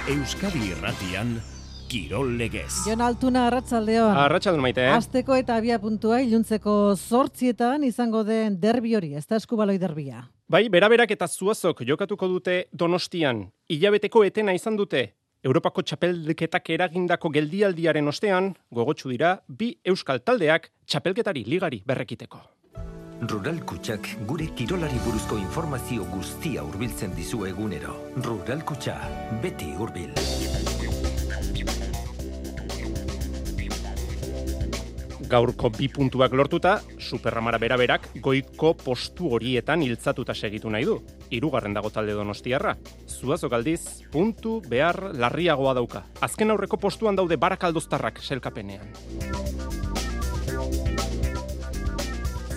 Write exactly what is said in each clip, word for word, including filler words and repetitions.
Euskadi Irratian, Kirol Legez. Jon Altuna, arratsaldeon. Arratsaldeon maite. Asteko eta abia puntua iluntzeko zortzietan izango den derbi hori, ez da eskubaloi derbia. Bai, beraberak eta Zuazok jokatuko dute Donostian. Hilabeteko etena izan dute. Europako txapelketak eragindako geldialdiaren ostean, gogotsu dira, bi euskal taldeak txapelketari ligari berrekiteko. Rural Kutxak gure kirolari buruzko informazio guztia hurbiltzen dizu egunero. Rural Kutxa, beti hurbil. Gaurko bi puntuak lortuta, Superramara beraberak goiko postu horietan hiltzatuta segitu nahi du. Hirugarren dago talde donostiarra. Zuazok aldiz, puntu behar larriagoa dauka. Azken aurreko postuan daude barakaldoztarrak selkapenean.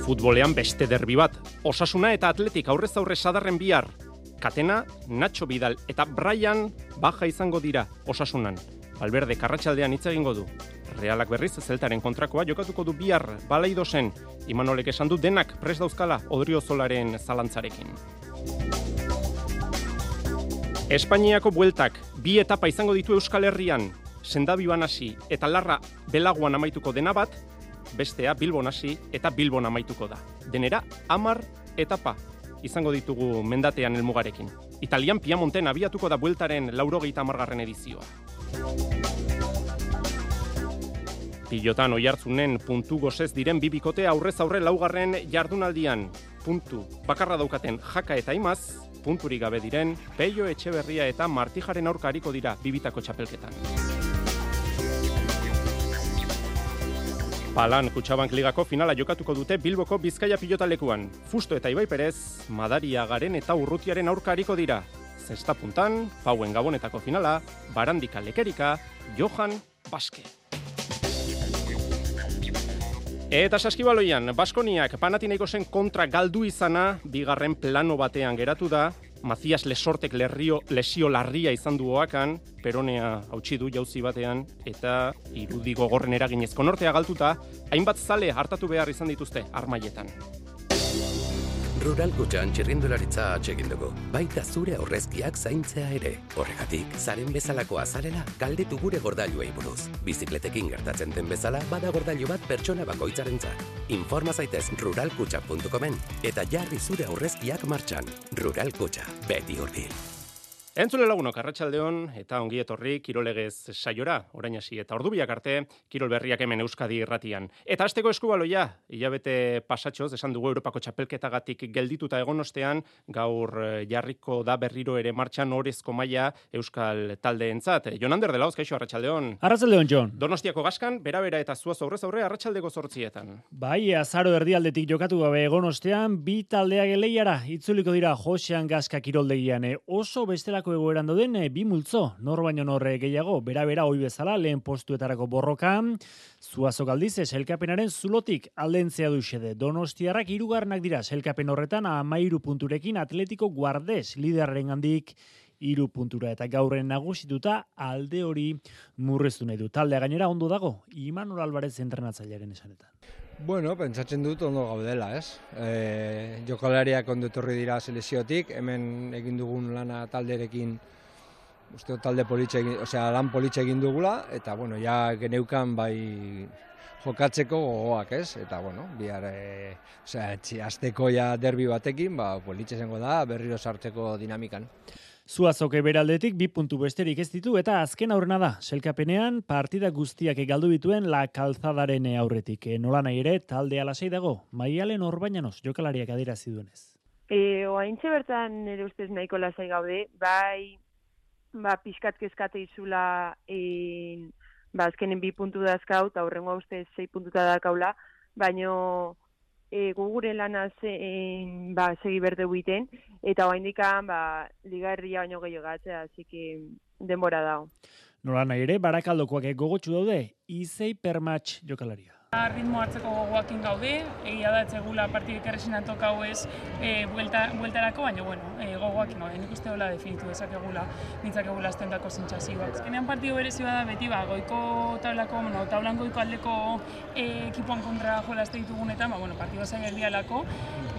Futbolean beste derbi bat. Osasuna eta Atletik aurrez aurre sadarren bihar. Katena, Nacho Vidal eta Brian baja izango dira Osasunan. Valverde karratsaldean hitz egingo du. Realak berriz Zeltaren kontrakoa jokatuko du bihar Balaidosen. Imanolek esan du denak prest dauzkala Odriozolaren zalantzarekin. Espainiako bueltak bi etapa izango ditu Euskal Herrian. Sendabiban hasi eta Larra Belaguan amaituko dena bat, bestea Bilbon hasi eta Bilbon amaituko da. Denera hamar etapa izango ditugu mendatean helmugarekin. Italian Piamonten abiatuko da bueltaren laurogeita hamargarren edizioa. Pilotan Oiartzunen puntu gozez diren bi bikote aurrez aurre laugarren jardunaldian. Puntu bakarra daukaten Jaka eta Imaz, punturik gabe diren Peio Etxeberria eta Martijaren aurka ariko dira bibitako txapelketan. Palan Kutxabank Ligako finala jokatuko dute Bilboko Bizkaia pilotalekuan. Fusto eta Ibai Perez, Madariagaren eta Urrutiaren aurka ariko dira. Zesta puntan, Pauen Gabonetako finala, Barandika Lekerika, Johan Baske. Eta saskibaloian, Baskoniak Panathinaikosen kontra galdu izana, bigarren plano batean geratu da, Mazias Lesortek lerrio, lesio larria izan du oakan, Peronea hautsi du jauzi batean, eta irudi gogorren eraginezko nortea galtuta, hainbat zale hartatu behar izan dituzte armaietan. Rural Kutxan txirrindularitza atsegin dugu, baita zure aurrezkiak zaintzea ere. Horregatik, zaren bezalako azarela galdetu gure gordailuei buruz. Bizikletekin gertatzen den bezala, bada gordailu bat pertsona bakoitzarentzat. Informa zaitez rural kutxa puntu comen eta jarri zure aurrezkiak martxan. Rural Kutxa, beti hurbil. Entzule lagunok, arratsaldeon eta ongi etorri Kirolegez saiora, orain hasi eta ordubiak arte, Kirol berriak hemen Euskadi Irratian. Eta asteko eskubaloia, hilabete pasatxoz, esan dugu Europako txapelketagatik geldituta egon ostean, gaur jarriko da berriro ere martxan orezko maila Euskal taldeentzat. Jon Ander de Laoz, kaixo, arratsaldeon. Arratsaldeon, Jon. Donostiako Gaskan, bera-bera eta Zuaz aurrez aurre arratsaldeko zortzietan. Bai, azaro erdialdetik jokatu gabe egon ostean, bi taldeak lehiara itzuliko dira Josean Gaska kiroldegian. Oso bestela egoeran doden bi multzo, nor baino norre gehiago, bera-bera ohi bezala lehen postuetarako borrokan, Zuazok aldiz sailkapenaren zulotik aldentzea du xede. Donostiarrak hirugarrenak dira sailkapen horretan hamairu punturekin Atletico Guardes liderrarengandik hiru puntura eta gaurren nagusituta alde hori murriztu nahi du. Taldea gainera ondo dago, Imanol Alvarez entrenatzailearen esanetan. Bueno, pentsatzen dut ondo gaudela, ez? E, jokalariak ondo etorri dira selekziotik, hemen egin dugun lana talderekin, uste talde politxe egin, osea, lan politxe egin dugula, eta bueno, ja geneukan bai jokatzeko gogoak, ez? Eta bueno, bihar, e, osea, asteko ja derbi batekin, ba, politxe zengo da, berriro sartzeko dinamikan. Zuazoke beraldetik bi puntu besterik ez ditu eta azken aurrena da. Selkapenean partida guztiak galdu dituen La Calzadaren aurretik. Nola nahi ere taldea lasai dago. Maialen Orbañanos jokalariak adierazi duenez. Eh, oaintxe bertan nire ustez nahiko lasai gaude, bai ba pixkat kezkate izula eh ba azkenen bi puntu dazkau eta aurrengoa ustez sei puntuta dakaula, baino E, gugure lanaz e, ba, segi berde buiten, eta oaindikan ba, liga erdia baino gehiago gatzea, así que denbora dago. Nola nahi ere, barakaldokoak gogotsu daude, Izei Permatx jokalaria. Ritmo hartzeko gogoakin gaude, egia da etzegula partidek erresinan tokau ez e, buelta, bueltarako, baina bueno, e, gogoakin gaude, nik uste hola definitu dezakegula, nintzakegula aztendako zentzazioak. Ezkenean partidu berezi bada beti, ba, goiko tablako, bueno, tablan goiko aldeko e, ekipoan kontra jolazte ditugunetan, ba, bueno, partidu zaila erdialako,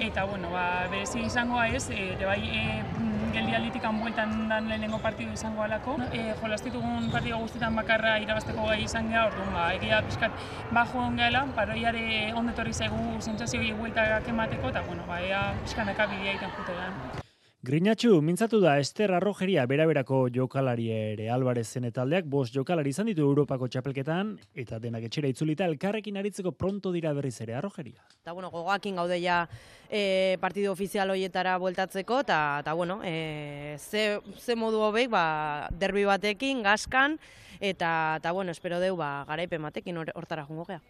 eta bueno, ba, berezi izangoa ez, e, bai, e, geldialditik bueltan dan lehenengo partidu izango alako. E, jolastitugun partidu guztietan bakarra irabazteko gai izan geha, orduan ba, egia pixkat bajo on gehala, paroiare ondetorri zaigu sentsazioei bueltak emateko, eta bueno, ba, ea pixkanaka bidea iten jute gehan. Grinatxu, mintzatu da Ester Arrojeria beraberako jokalari ere Albarezen taldeak, bost jokalari izan ditu Europako txapelketan, eta denak etxera itzulita elkarrekin aritzeko pronto dira berriz ere Arrojeria. Eta bueno, gogoakin gaude ja e, partidu ofizial hoietara bueltatzeko, eta bueno, e, ze, ze modu hobeik, ba, derbi batekin, gaskan, eta, eta bueno, espero deu, ba, garaipen batekin hortara jungo gea.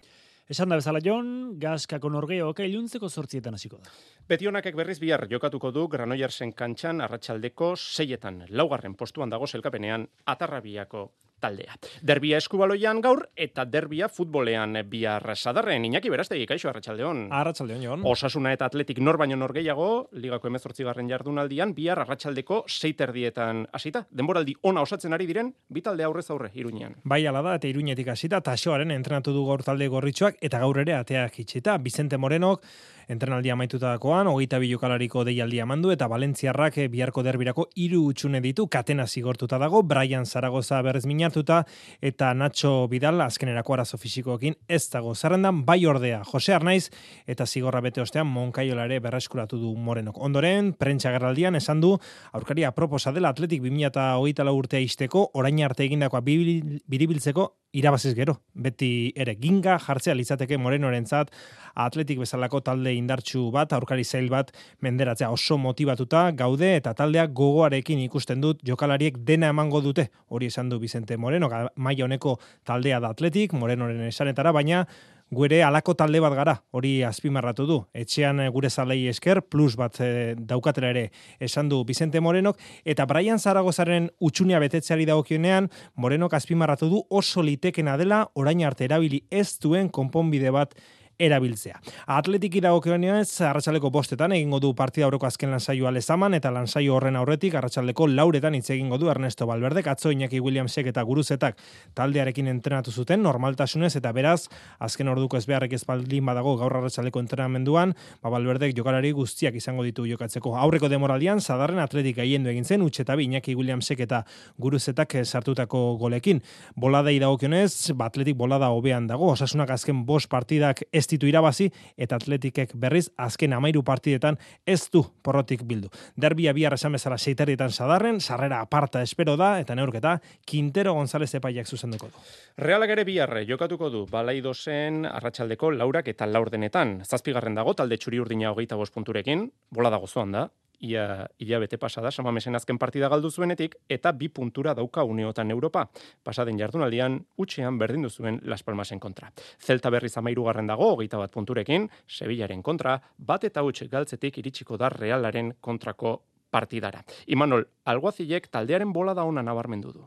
Esan da bezala Jon, Gaskako norgeoka iluntzeko zortzietan hasiko da. Betionakek berriz bihar jokatuko du Granoillersen kantxan arratsaldeko seietan. Laugarren postuan dago selkapenean Atarrabiako taldea. Derbia eskubaloian gaur eta derbia futbolean bihar sadarren. Iñaki Berastegi, kaixo arratsaldeon. Arratsaldeon, Jon. Osasuna eta Atletik nor baino nor gehiago, ligako hemezortzigarren jardunaldian bihar arratsaldeko sei terdietan hasita. Denboraldi ona osatzen ari diren bi talde aurrez aurre Iruñean. Bai, hala da, eta Iruñetik hasita Taxoaren entrenatu du gaur talde gorritxoak eta gaur ere ateak itxita. Vicente Morenok entrenaldia amaitutakoan hogeita bi jokalariko deialdia mandu eta Valentziarrak biharko derbirako hiru hutsune ditu, katena zigortuta dago, Brian Zaragoza berrez minartuta eta Nacho Vidal azkenerako arazo fisikoekin ez dago zerrendan, bai ordea Jose Arnaiz eta zigorra bete ostean Monkaiola ere berreskuratu du Morenok. Ondoren, prentsa gerraldian esan du aurkaria proposa dela Atletik bi mila hogeita lau urtea izteko, orain arte egindakoa biribiltzeko irabaziz gero. Beti ere ginga jartzea litzateke Morenorentzat Atletik bezalako talde indartsu bat, aurkari zail bat menderatzea, oso motibatuta gaude eta taldeak gogoarekin ikusten dut jokalariek dena emango dute. Hori esan du Vicente Moreno, maila honeko taldea da Atletik, Morenoren esanetara, baina gure alako talde bat gara, hori azpimarratu du. Etxean gure zalei esker, plus bat e, daukatera ere esan du Vicente Morenok, eta Brian Zaragozaren utxunea betetzeari dagokionean, Morenok azpimarratu du oso litekena dela, orain arte erabili ez duen konponbide bat erabiltzea. Atletiki dagokionez arratsaleko bostetan egingo du partida aurreko azken lansaioa Lezaman eta lansaio horren aurretik arratsaldeko lauretan hitz egingo du Ernesto Valverdek, atzo Iñaki Williamsek eta Guruzetak taldearekin entrenatu zuten normaltasunez eta beraz azken orduko ez beharrek ez baldin badago gaur arratsaldeko entrenamenduan, ba Valverdek jokalari guztiak izango ditu jokatzeko. Aurreko demoraldian Sadarren Atletik gaiendu egin zen huts eta bi Iñaki Williamsek eta Guruzetak sartutako golekin. Boladei dagokionez, ba Atletik bolada hobean dago, Osasunak azken bost partidak ez ditu irabazi eta Atletikek berriz azken hamairu partidetan ez du porrotik bildu. Derbia bihar esan bezala seiterrietan Sadarren, sarrera aparta espero da eta neurketa Quintero González epaiak zuzenduko du. Realak ere bihar jokatuko du Balaidosen arratsaldeko laurak eta laurdenetan. Zazpigarren dago talde txuri urdina hogeita bost punturekin, bola dago zoan da. Ia hilabete pasada Samamesen azken partida galdu zuenetik eta bi puntura dauka Uneotan Europa. Pasaden jardunaldian utxean berdindu zuen Las Palmasen kontra. Celta berriz hamahirugarren dago hogeita bat punturekin, Sevillaren kontra, bat eta huts galtzetik iritsiko da Realaren kontrako partidara. Imanol, Alguazilek taldearen bola da ona nabarmendu du.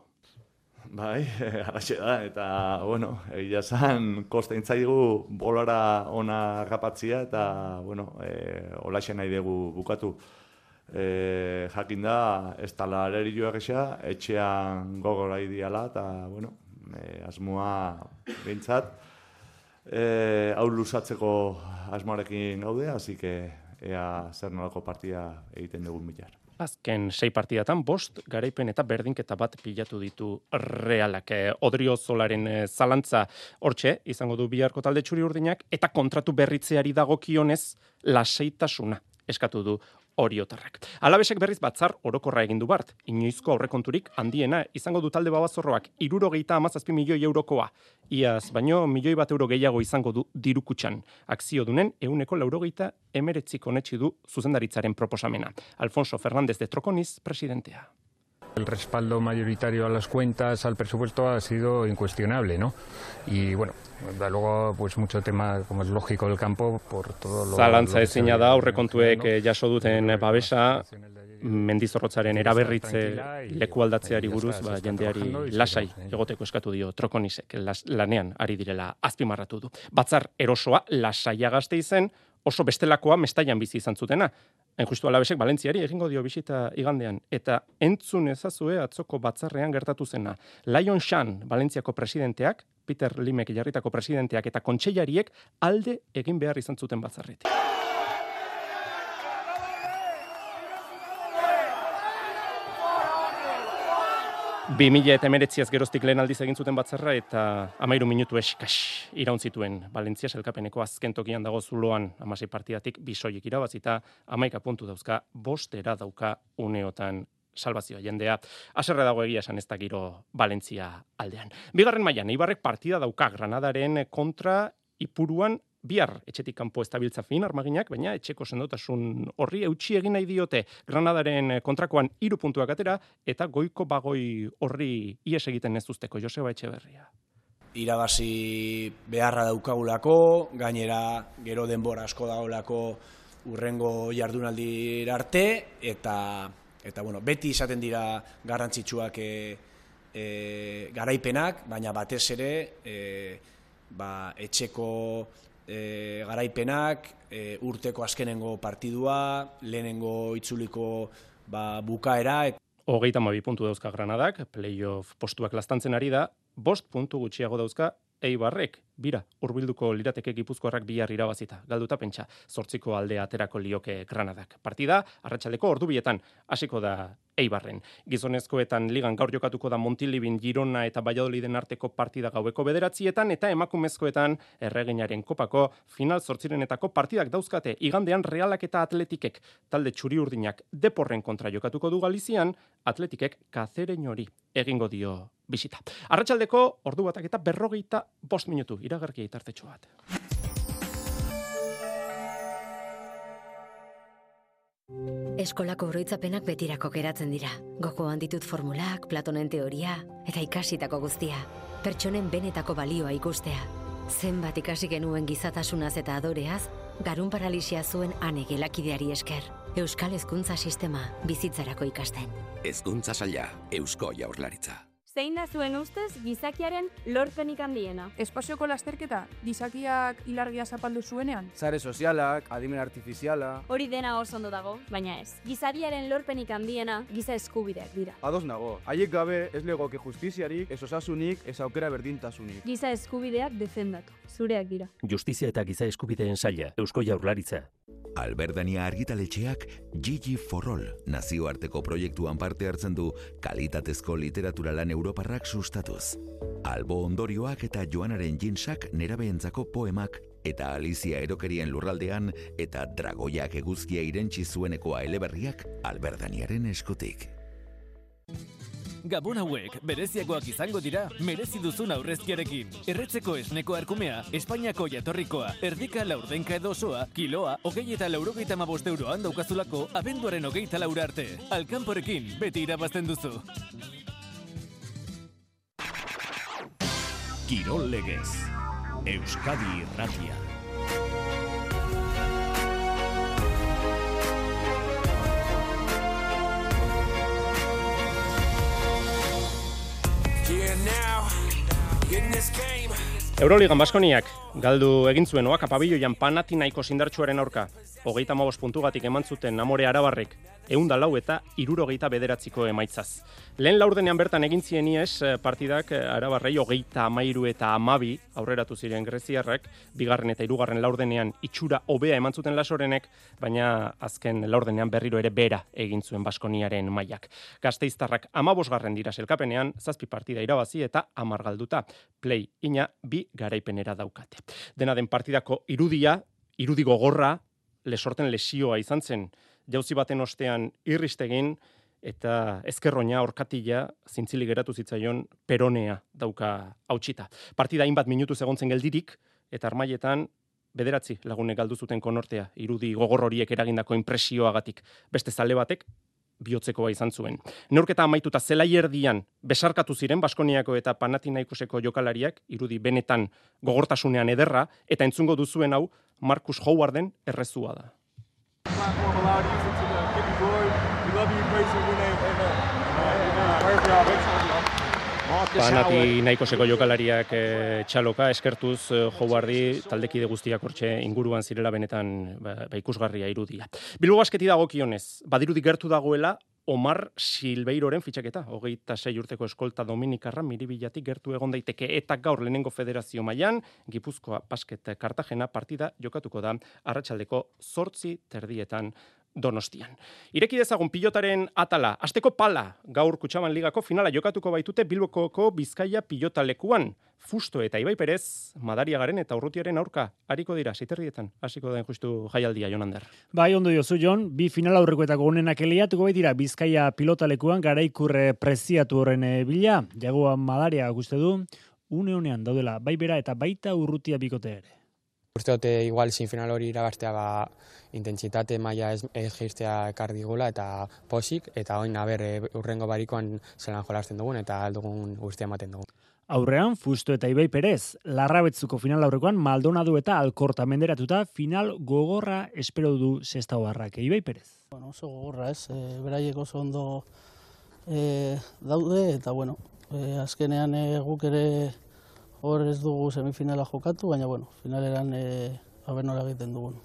Bai, halaxe da, eta, bueno, egia zan, kosta intzaigu bolara ona rapatzia, eta, bueno, e, holaxe nahi dugu bukatu. E, jakin da, ez tala arerio egisa, etxean gogora idiala, eta, bueno, e, asmoa behintzat, e, hau luzatzeko asmoarekin gaude, así que ea zer nolako partia egiten dugun bilar. Azken sei partidatan bost garaipen eta berdinketa bat pilatu ditu Realak. Odriozolaren zalantza hortxe izango du biharko talde txuri urdinak eta kontratu berritzeari dagokionez lasaitasuna eskatu du Oriotarrak. Alabesek berriz batzar orokorra egin du bart. Inoizko aurrekonturik handiena izango du talde babazorroak hirurogeita hamazazpi milioi eurokoa. Iaz, baino milioi bat euro gehiago izango du dirukutxan. Akzio dunen ehuneko laurogeita emeretzik onetsi du zuzendaritzaren proposamena. Alfonso Fernández de Troconiz, presidentea. El respaldo mayoritario a las cuentas, al presupuesto, ha sido incuestionable, ¿no? Y bueno, da luego pues mucho tema, como es lógico, del campo, por todo lo... Zalantza ezina da, aurrekontuek jaso duten babesa, Mendizorrotzaren eraberritze leku aldatzeari buruz, ba, jendeari lasai egoteko eskatu dio Trokonisek, lanean ari direla azpimarratu du. Batzar erosoa lasaia gazte izen, oso bestelakoa Mestaian bizi izan zutena. Hain justu Alabesek Valentziari egingo dio bisita igandean, eta entzun ezazue atzoko batzarrean gertatu zena. Lion Shan, Valentziako presidenteak, Peter Limek jarritako presidenteak eta kontseilariek alde egin behar izan zuten batzarretik. bi mila hemeretziaz geroztik lehen aldiz egin zuten batzarra eta hamairu minutu eskas iraun zituen Valentzia sailkapeneko azken tokian dago zuloan hamasei partidatik bisoiek irabazita hamaika puntu dauzka, bostera dauka uneotan salvazioa jendea. Haserre dago egia esan ez da giro Valentzia aldean. Bigarren mailan Eibarrek partida dauka Granadaren kontra Ipuruan bihar etxetik kanpo estabiltza fin armaginak, baina etxeko sendotasun horri eutsi egin nahi diote Granadaren kontrakoan hiru puntuak atera eta goiko bagoi horri ies egiten ez usteko Joseba Etxeberria. Irabazi beharra daukagulako, gainera gero denbora asko dagoelako urrengo jardunaldira arte eta eta bueno, beti izaten dira garrantzitsuak e, e, garaipenak, baina batez ere e, ba, etxeko e, garaipenak, e, urteko azkenengo partidua, lehenengo itzuliko ba, bukaera. Hogeita hamabi puntu dauzka Granadak, playoff postuak lastantzen ari da, bost puntu gutxiago dauzka Eibarrek, bira, hurbilduko lirateke Gipuzkoarrak bihar irabazita. Galduta pentsa, zortziko aldea aterako lioke Granadak. Partida, arratsaldeko ordubietan hasiko da Eibarren. Gizonezkoetan ligan gaur jokatuko da Montilibin, Girona eta Valladoliden arteko partida gaueko bederatzietan, eta emakumezkoetan erreginaren kopako final zortzirenetako partidak dauzkate. Igandean Realak eta Atletikek, talde txuri urdinak Deporren kontra jokatuko du Galizian, Atletikek Kazereñori egingo dio bisita. Arratsaldeko ordu batak eta berrogeita bost minutu, iragarkia itartetxo bat. Eskolako oroitzapenak betirako geratzen dira. Gogoan ditut formulak, Platonen teoria eta ikasitako guztia. Pertsonen benetako balioa ikustea. Zenbat ikasi genuen gizatasunaz eta adoreaz, garun paralisia zuen ane gelakideari esker. Euskal Hezkuntza Sistema bizitzarako ikasten. Hezkuntza Saila, Eusko Jaurlaritza. Zein da zuen ustez gizakiaren lorpenik handiena? Espazioko lasterketa, gizakiak ilargia zapaldu zuenean? Sare sozialak, adimen artifiziala... Hori dena oso ondo dago, baina ez. Gizadiaren lorpenik handiena giza eskubideak dira. Ados nago, haiek gabe ez legoke justiziarik, ez osasunik, ez aukera berdintasunik. Giza eskubideak defendatu, zureak dira. Justizia eta giza eskubideen saila, Eusko Jaurlaritza. Alberdania argitaletxeak Gigi for All nazioarteko proiektuan parte hartzen du kalitatezko literatura lan europarrak sustatuz. Albo ondorioak eta Joanaren jinsak nerabeentzako poemak eta Alizia erokerien lurraldean eta Dragoiak eguzkia irentsi zuenekoa eleberriak Alberdaniaren eskutik. Gabon hauek, bereziagoak izango dira, merezi duzun aurrezkiarekin. Erretzeko esneko arkumea, Espainiako jatorrikoa, erdika laurdenka edo osoa, kiloa, hogei eta laurogeita hamabost euroan daukazulako, abenduaren hogeita laura arte. Alkanporekin, beti irabazten duzu. Kirol Legez, Euskadi Irratia. Euroligan Baskoniak galdu egin zuen oaka pabiloian Panathinaikos indartsuaren aurka. Hogeita hamabost puntugatik eman zuten Amore Arabarrek, ehun eta lau eta hirurogeita bederatziko emaitzaz. Lehen laurdenean bertan egin zien ies partidak Arabarrei hogeita hamairu eta hamabi aurreratu ziren greziarrak, bigarren eta hirugarren laurdenean itxura hobea eman zuten Lasorenek, baina azken laurdenean berriro ere bera egin zuen Baskoniaren mailak. Gasteiztarrak hamabosgarren dira selkapenean, zazpi partida irabazi eta hamar galduta. Play ina bi garaipenera daukate. Dena den partidako irudia, irudi gogorra, Lesorten lesioa izan zen, jauzi baten ostean irristegin eta ezkerroina orkatila zintzili geratu zitzaion peronea dauka hautsita. Partida hainbat minutuz egontzen geldirik eta armailetan bederatzi lagunek galdu zuten konortea, irudi gogor horiek eragindako inpresioagatik. Beste zale batek bihotzekoa izan zuen. Neurketa amaituta zelai erdian besarkatu ziren Baskoniako eta Panathinaikoseko jokalariak, irudi benetan gogortasunean ederra, eta entzungo duzuen hau Marcus Howarden errezua da. Panathinaikoseko jokalariak e, txaloka eskertuz e, Howardi taldekide guztiak hortxe inguruan zirela benetan ba, ba ikusgarria irudia. Bilbo Basketi dagokionez, badirudi gertu dagoela Omar Silveiroren fitxaketa, hogeita sei urteko eskolta Dominikarra Miribilatik gertu egon daiteke eta gaur lehenengo federazio mailan Gipuzkoa Basket Kartagena partida jokatuko da arratsaldeko zortzi terdietan Donostian. Ireki dezagun pilotaren atala, asteko pala, gaur Kutxaban Ligako finala jokatuko baitute Bilboko Bizkaia pilotalekuan. Fusto eta Ibai Perez, Madariagaren eta Urrutiaren aurka hariko dira, ziterrietan, hasiko da justu jaialdia, Jonander. Bai, ondo diozu, Jon, bi final aurrekoetako gonenak eliatuko baitira Bizkaia pilotalekuan garaikurre preziatu horren bila, jagoan Madaria guste du, une honean daudela, bai bera eta baita Urrutia bikote ere. Uste dute igual sin final hori irabaztea ba, intentsitate maila ez, ez geistea ekar digula eta posik, eta oin aber urrengo barikoan zelan jolasten dugun eta aldugun guztia ematen dugun. Aurrean, Fusto eta Ibai Perez, Larrabetzuko final aurrekoan Maldonado eta Alkorta menderatuta final gogorra espero du Sestao Barrak. Ibai Perez. Bueno, oso gogorra ez, e, beraiek oso ondo e, daude eta bueno, e, azkenean e, guk ere hor ez dugu semifinala jokatu, baina bueno, finaleran e, haber nola egiten dugun.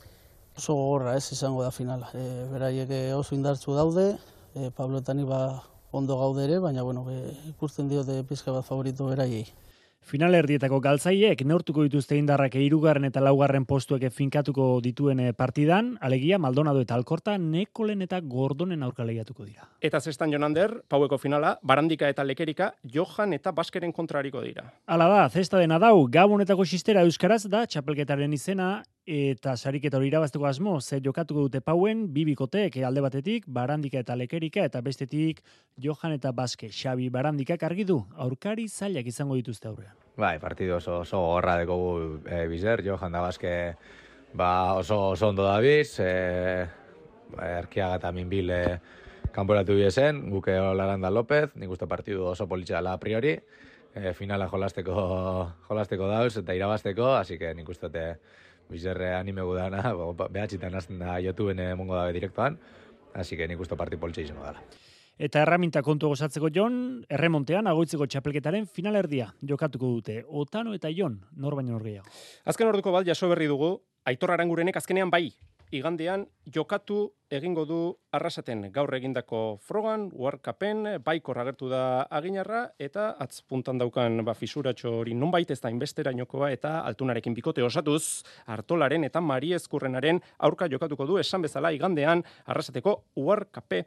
Oso gogorra ez izango da finala. E, beraiek oso indartzu daude, e, Pablo eta ni ba ondo gaude ere, baina bueno, e, ikusten diote pizka bat favorito beraiei. Final erdietako galtzaiek neurtuko dituzte indarrak hirugarren eta laugarren postuek finkatuko dituen partidan, alegia Maldonado eta Alkorta Nekolen eta Gordonen aurka lehiatuko dira. Eta zestan Jonander, paueko finala, Barandika eta Lekerika, Johan eta Baskeren kontrariko dira. Hala da, zesta dena dau, Gabonetako xistera euskaraz da, txapelketaren izena, eta sariketa hori irabazteko asmo, ze jokatuko dute pauen, bibikoteek alde batetik, Barandika eta Lekerika, eta bestetik Johan eta Baske. Xabi Barandikak argi du, aurkari zailak izango dituzte aurrean. Bai, partidu oso, oso gorra dekogu e, bizer, Johan da Baske ba, oso, oso ondo dabiz, e, Erkiaga eta Minbil e, kanporatu biesen, guke Laranda López, nik uste partidu oso politxe dela a priori, e, finala jolasteko, jolasteko dauz eta irabazteko, así que nik uste bizerre anime gudana, behatxitan azten da YouTubeen emongo dabe direktoan, así que nik uste parti politxe izango dela. Eta erraminta kontu gozatzeko Jon, erremontean agoitzeko txapelketaren finalerdia jokatuko dute. Otano eta Jon, nor baino nor gehiago. Azken orduko bat jaso berri dugu, Aitor Arangurenek azkenean bai, igandean jokatu egingo du Arrasaten gaur egindako frogan, uharkapen, baikor agertu da aginarra, eta atzpuntan daukan ba, fisuratxo hori nonbait ez da inbesterainokoa eta altunarekin bikote osatuz, Artolaren eta Mariezkurrenaren aurka jokatuko du esan bezala igandean Arrasateko uharkape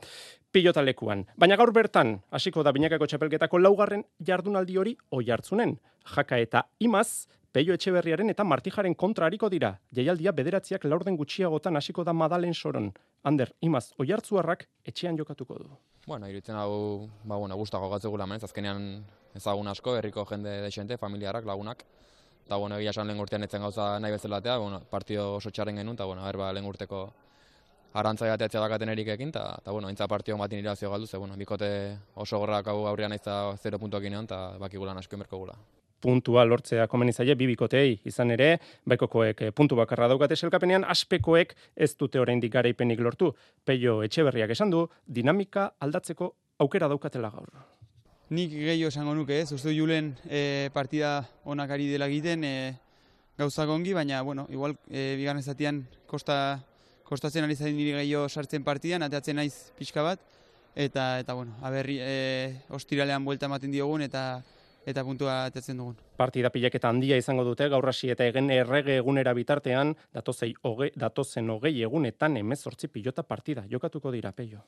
pilotalekuan. Baina gaur bertan, hasiko da binakako txapelketako laugarren jardunaldi hori oihartzunen. Jaka eta Imaz, Peio Etxeberriaren eta Martijaren kontra hariko dira. Jaialdia bederatziak laurden gutxiagotan hasiko da Madalen Soron. Ander, Imaz, oihartzuarrak etxean jokatuko du. Bueno, iruditzen hau, ba, bueno, guztako gatzegula menez, azkenean ezagun asko, herriko jende desente, familiarak, lagunak. Eta, bueno, egia esan lehen urtean etzen gauza nahi bezalatea, bueno, partido oso txarren genuen, eta, bueno, berba lehen urteko arantzai ateatzea dakaten erikekin, eta, bueno, entza partio batin irazio galdu, ze, bueno, bikote oso gorrak hau aurrean aizta zero puntuak inean, eta bakigulan asko inberko gula. Puntua lortzea komeni zaie bi bikotei izan ere, baikokoek puntu bakarra daukate selkapenean, aspekoek ez dute oraindik garaipenik lortu. Peio Etxeberriak esan du, dinamika aldatzeko aukera daukatela gaur. Nik gehiago esango nuke ez, uste Julen e, partida onak ari dela egiten e, gauzak ongi, baina, bueno, igual e, bigarren zatian kosta, kostatzen ari zain niri gehiago sartzen partidan, ateatzen naiz pixka bat, eta, eta bueno, aberri, e, ostiralean buelta ematen diogun, eta eta puntua atetzen dugun. Partida pilaketa handia izango dute, gaur hasi eta egen errege egunera bitartean, datozei hoge, datozen hogei egunetan hemezortzi pilota partida. Jokatuko dira, Peio.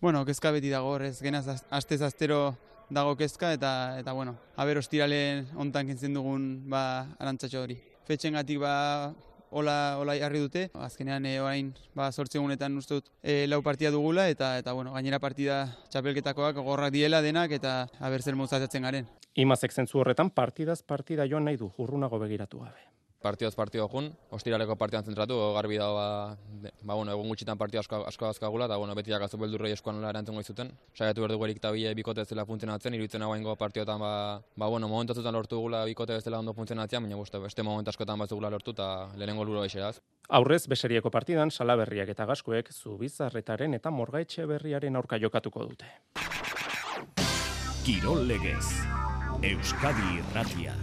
Bueno, kezka beti dago, ez genaz astez astero dago kezka, eta, eta bueno, haber ostiralen ontan kentzen dugun ba, arantzatxo hori. Fetxengatik ba, Ola, ola jarri dute, azkenean e, orain ba, sortze egunetan uste dut e, lau partida dugula, eta, eta bueno, gainera partida txapelketakoak gorrak diela denak, eta haber zer mozatzen garen. Imazek zentzu horretan partidaz partida joan nahi du, urrunago begiratu gabe. Partioz partio jun, ostiraleko partidan zentratu, garbi dago ba, ba, bueno, egun gutxitan partio asko, asko azkagula, eta bueno, beti jakazu beldurroi eskoan nola erantzungo izuten. Saiatu behar dugu erik eta bile bikote zela funtzionatzen, iruditzen hau ingo partioetan, ba, ba, bueno, momentatutan lortu gula bikote bezala ondo funtzionatzen, baina guzti, beste moment askotan bat zugula lortu, eta lehenengo luro eixeraz. Aurrez, Beserieko partidan, Salaberriak eta Gaskoek, Zubizarretaren eta Morgaetxe berriaren aurka jokatuko dute. Kirol legez, Euskadi Irratia.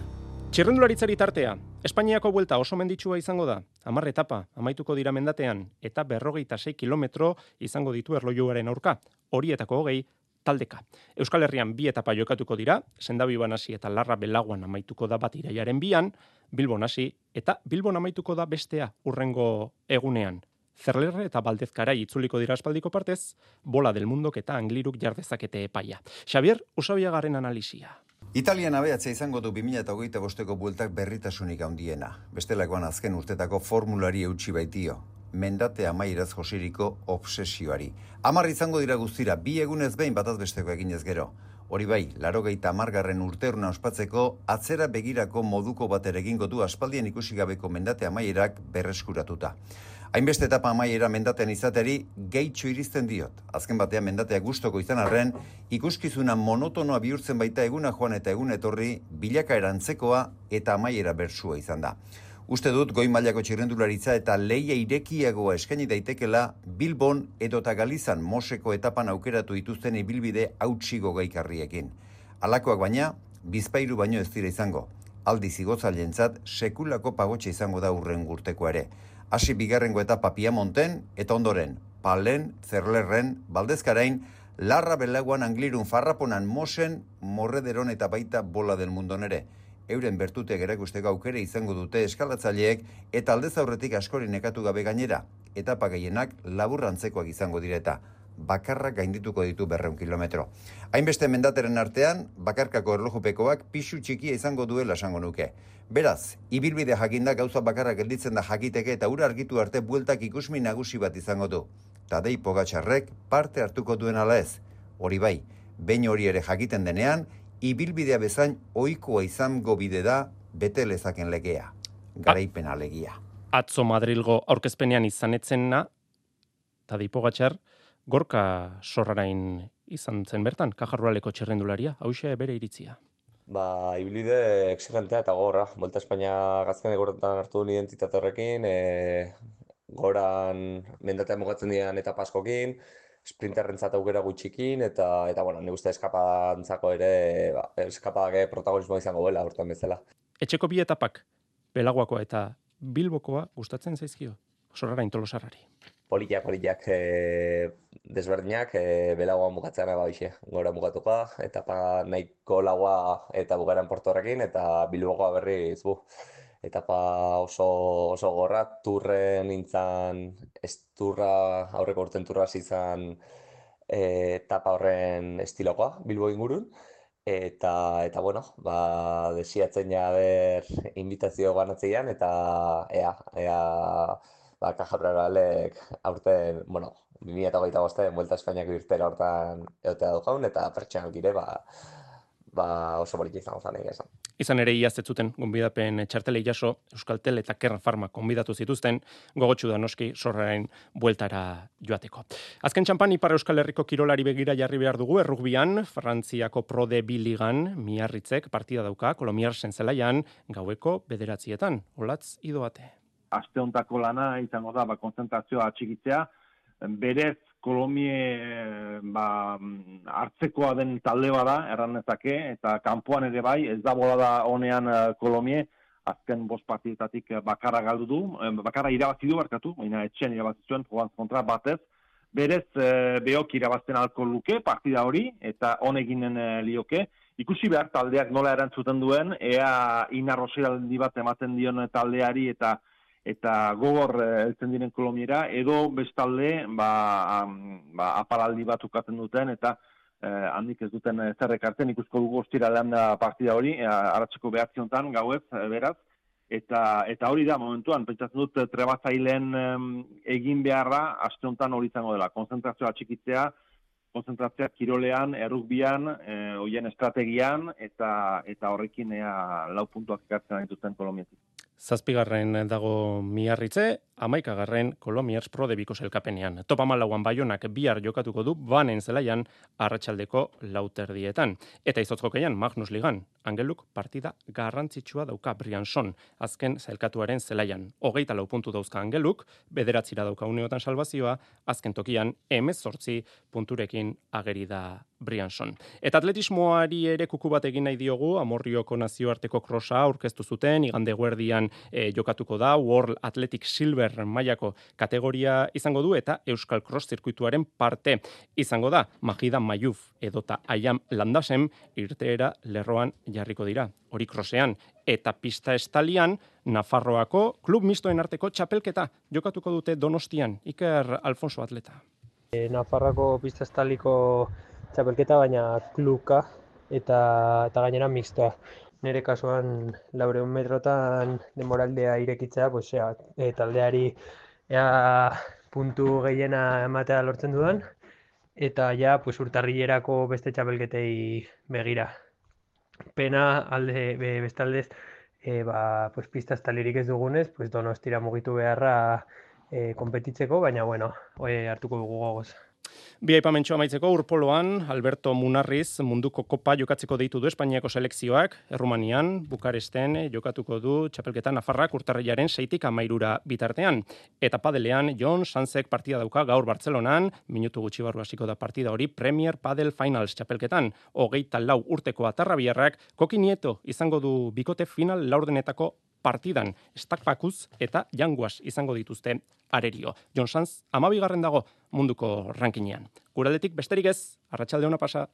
Txirrendularitzari tartea, Espainiako buelta oso menditsua izango da, hamar etapa amaituko dira mendatean, eta berrogeita sei kilometro izango ditu erlojuaren aurka, horietako hogei taldeka. Euskal Herrian bi etapa jokatuko dira, Sendabiban hasi eta Larra Belaguan amaituko da bat iraiaren bian, Bilbon hasi eta Bilbon amaituko da bestea urrengo egunean. Zerlerre eta Baldezkara itzuliko dira aspaldiko partez, Bola del Mundok eta Angliruk jardezakete epaia. Xavier Usabiagarren analisia. Italian abeatzea izango du bi mila hogeita bosteko bueltak berritasunik handiena. Bestelakoan azken urtetako formulari eutsi baitio. Mendate amaieraz josiriko obsesioari. Hamar izango dira guztira, bi egunez behin bataz besteko eginez gero. Hori bai, larogeita hamargarren urteurna ospatzeko atzera begirako moduko bat ere egingo du aspaldian ikusi gabeko mendate amaierak berreskuratuta. Hainbeste etapa amaiera mendatean izateri gehitxo iristen diot. Azken batean mendatea gustoko izan arren, ikuskizuna monotonoa bihurtzen baita eguna joan eta egun etorri, bilakaera antzekoa eta amaiera bersua izan da. Uste dut goi mailako txirrendularitza eta leia irekiagoa eskaini daitekela Bilbon edota Galizan Moseko etapan aukeratu dituzten ibilbide hautsigo gaikarriekin. Halakoak baina, bizpairu baino ez dira izango. Aldiz igotzailentzat sekulako pagotxe izango da urren urteko ere. Hasi bigarrengo etapa Piamonten eta ondoren Palen, Zerlerren, Baldezkarain, Larra Belaguan, Anglirun, Farraponan, Mosen, Morrederon eta baita Bola del Mundon ere. Euren bertute gerakusteko aukere izango dute eskalatzaileek eta aldez aurretik askori nekatu gabe gainera. Etapa gehienak laburrantzekoak izango direta. Bakarrak gaindituko ditu berreun kilometro. Hainbeste mendateren artean, bakarkako erlojupekoak pixu txikia izango duela esango nuke. Beraz, ibilbide jakinda gauza bakarra gelditzen da jakiteke eta ura argitu arte bueltak ikusmin nagusi bat izango du. Tadei Pogačarrek parte hartuko duen ala ez. Hori bai, behin hori ere jakiten denean, ibilbidea bezain ohikoa izango bide da bete lezaken legea. Garaipena legia. Atzo Madrilgo aurkezpenean izanetzena, Tadei Pogačar, Gorka Sorrarain izan zen bertan, Kajarrualeko txerrendularia, hauxe bere iritzia. Ba, ibilbide exigentea eta gorra. Volta Espainia gazken egorretan hartu duen identitate horrekin, e, goran mendatea mugatzen dian etapa askokin, sprinterrentzat aukera gutxikin, eta, eta bueno, nire uste eskapantzako ere, ba, eskapadak protagonismoa izango duela, urtean bezala. Etxeko bi etapak, Belaguakoa eta Bilbokoa gustatzen zaizkio, Sorrarain Tolosarrari. Poliak, poliak e, desberdinak, e, Belagoa mugatzean eba bixe, gora mugatuka, etapa nahiko lagoa eta bugaran portorrekin, eta Bilbokoa berriz, bu, etapa oso, oso gorra, turren nintzen, ez turra, aurreko urten turra izan e, etapa horren estilokoa, Bilbo ingurun, eta, eta bueno, ba, desiatzen ja ber invitazio banatzeian, eta ea, ea, ba, Kajarrualek aurten, bueno, bi mila hogeita bostean Vuelta Espainiako irtera hortan egotea du jaun, eta pertsonak dire, ba, ba oso politia izango zen egia esan. Izan ere iaz ez zuten gonbidapen txartelei jaso, Euskaltel eta Kern Pharma gonbidatu zituzten, gogotsu da noski Sorrarain bueltara joateko. Azken txampan Ipar Euskal Herriko kirolari begira jarri behar dugu, errugbian, Frantziako Pro de Biligan, Miarritzek partida dauka, Kolomiarsen zelaian, gaueko bederatzietan, olatz idoate. Aste hontako lana izango da, ba, konzentrazioa atxikitzea, berez Kolomie ba, hartzekoa den talde bada, erranezake, eta kanpoan ere bai, ez da bolada honean Kolomie, azken bost partietatik bakarra galdu du, bakarra irabazi du barkatu, baina etxean irabazi zuen, joan kontra batez, berez behok irabazten alko luke, partida hori, eta honeginen lioke, ikusi behar taldeak nola erantzuten duen, ea inarroseraldi bat ematen dion taldeari eta eta gogor heltzen diren Kolomiera, edo bestalde ba, ba, aparaldi bat ukatzen duten, eta eh, handik ez duten zerrek hartzen, ikusko dugu ostiralean da partida hori, eh, aratzeko behatzi honetan, gauez, beraz, eta, eta hori da, momentuan, pentsatzen dut trebatzaileen eh, egin beharra, aste honetan hori izango dela, konzentrazioa txikitzea, konzentrazioa kirolean, errugbian, eh, hoien estrategian, eta, eta horrekin ea lau puntuak ekartzen dituzten Kolomietik. Zazpigarren dago Miarritze, hamaikagarren Kolomiers Pro de Biko selkapenean. Top hamalauan Baionak bihar jokatuko du banen zelaian arratsaldeko lauterdietan. Eta izotz jokeian Magnus Ligan, Angeluk partida garrantzitsua dauka Briançon, azken zelkatuaren zelaian. Hogeita lau puntu dauzka Angeluk, bederatzira dauka uneotan salvazioa, azken tokian hemezortzi punturekin ageri da Briançon. Eta atletismoari ere kuku bat egin nahi diogu, Amorrioko nazioarteko krosa aurkeztu zuten, igande guerdian e, jokatuko da, World Athletic Silver super mailako kategoria izango du eta Euskal Cross zirkuituaren parte izango da. Majida Mayuf edota Aiam Landasem irteera lerroan jarriko dira. Hori krosean eta pista estalian Nafarroako klub mistoen arteko txapelketa jokatuko dute Donostian. Iker Alfonso atleta. E, Nafarroako pista estaliko txapelketa, baina kluka eta, eta gainera mixtoa. Nire kasuan laureun metrotan denboraldea irekitzea, pues, ea, e, taldeari ea puntu gehiena ematea lortzen dudan, eta ja pues, urtarrilerako beste txapelketei begira. Pena alde be, bestaldez, e, ba, pues, pista estalirik ez dugunez, pues, Donostira mugitu beharra e, konpetitzeko, baina bueno, e, hartuko dugu gogoz. Bi aipamentxo amaitzeko urpoloan, Alberto Munarriz munduko kopa jokatzeko deitu du Espainiako selekzioak, Errumanian, Bukaresten jokatuko du txapelketa Nafarrak urtarrilaren seitik amairura bitartean. Eta padelean, Jon Sanzek partida dauka gaur Bartzelonan, minutu gutxi barru hasiko da partida hori Premier Padel Finals txapelketan. Hogeita lau urteko atarrabiarrak, Koki Nieto izango du bikote final laurdenetako partidan, Stakpakuz eta Janguas izango dituzte arerio. Jon Sanz, amabigarren dago munduko rankinean. Guraldetik besterik ez, arratsalde ona pasa.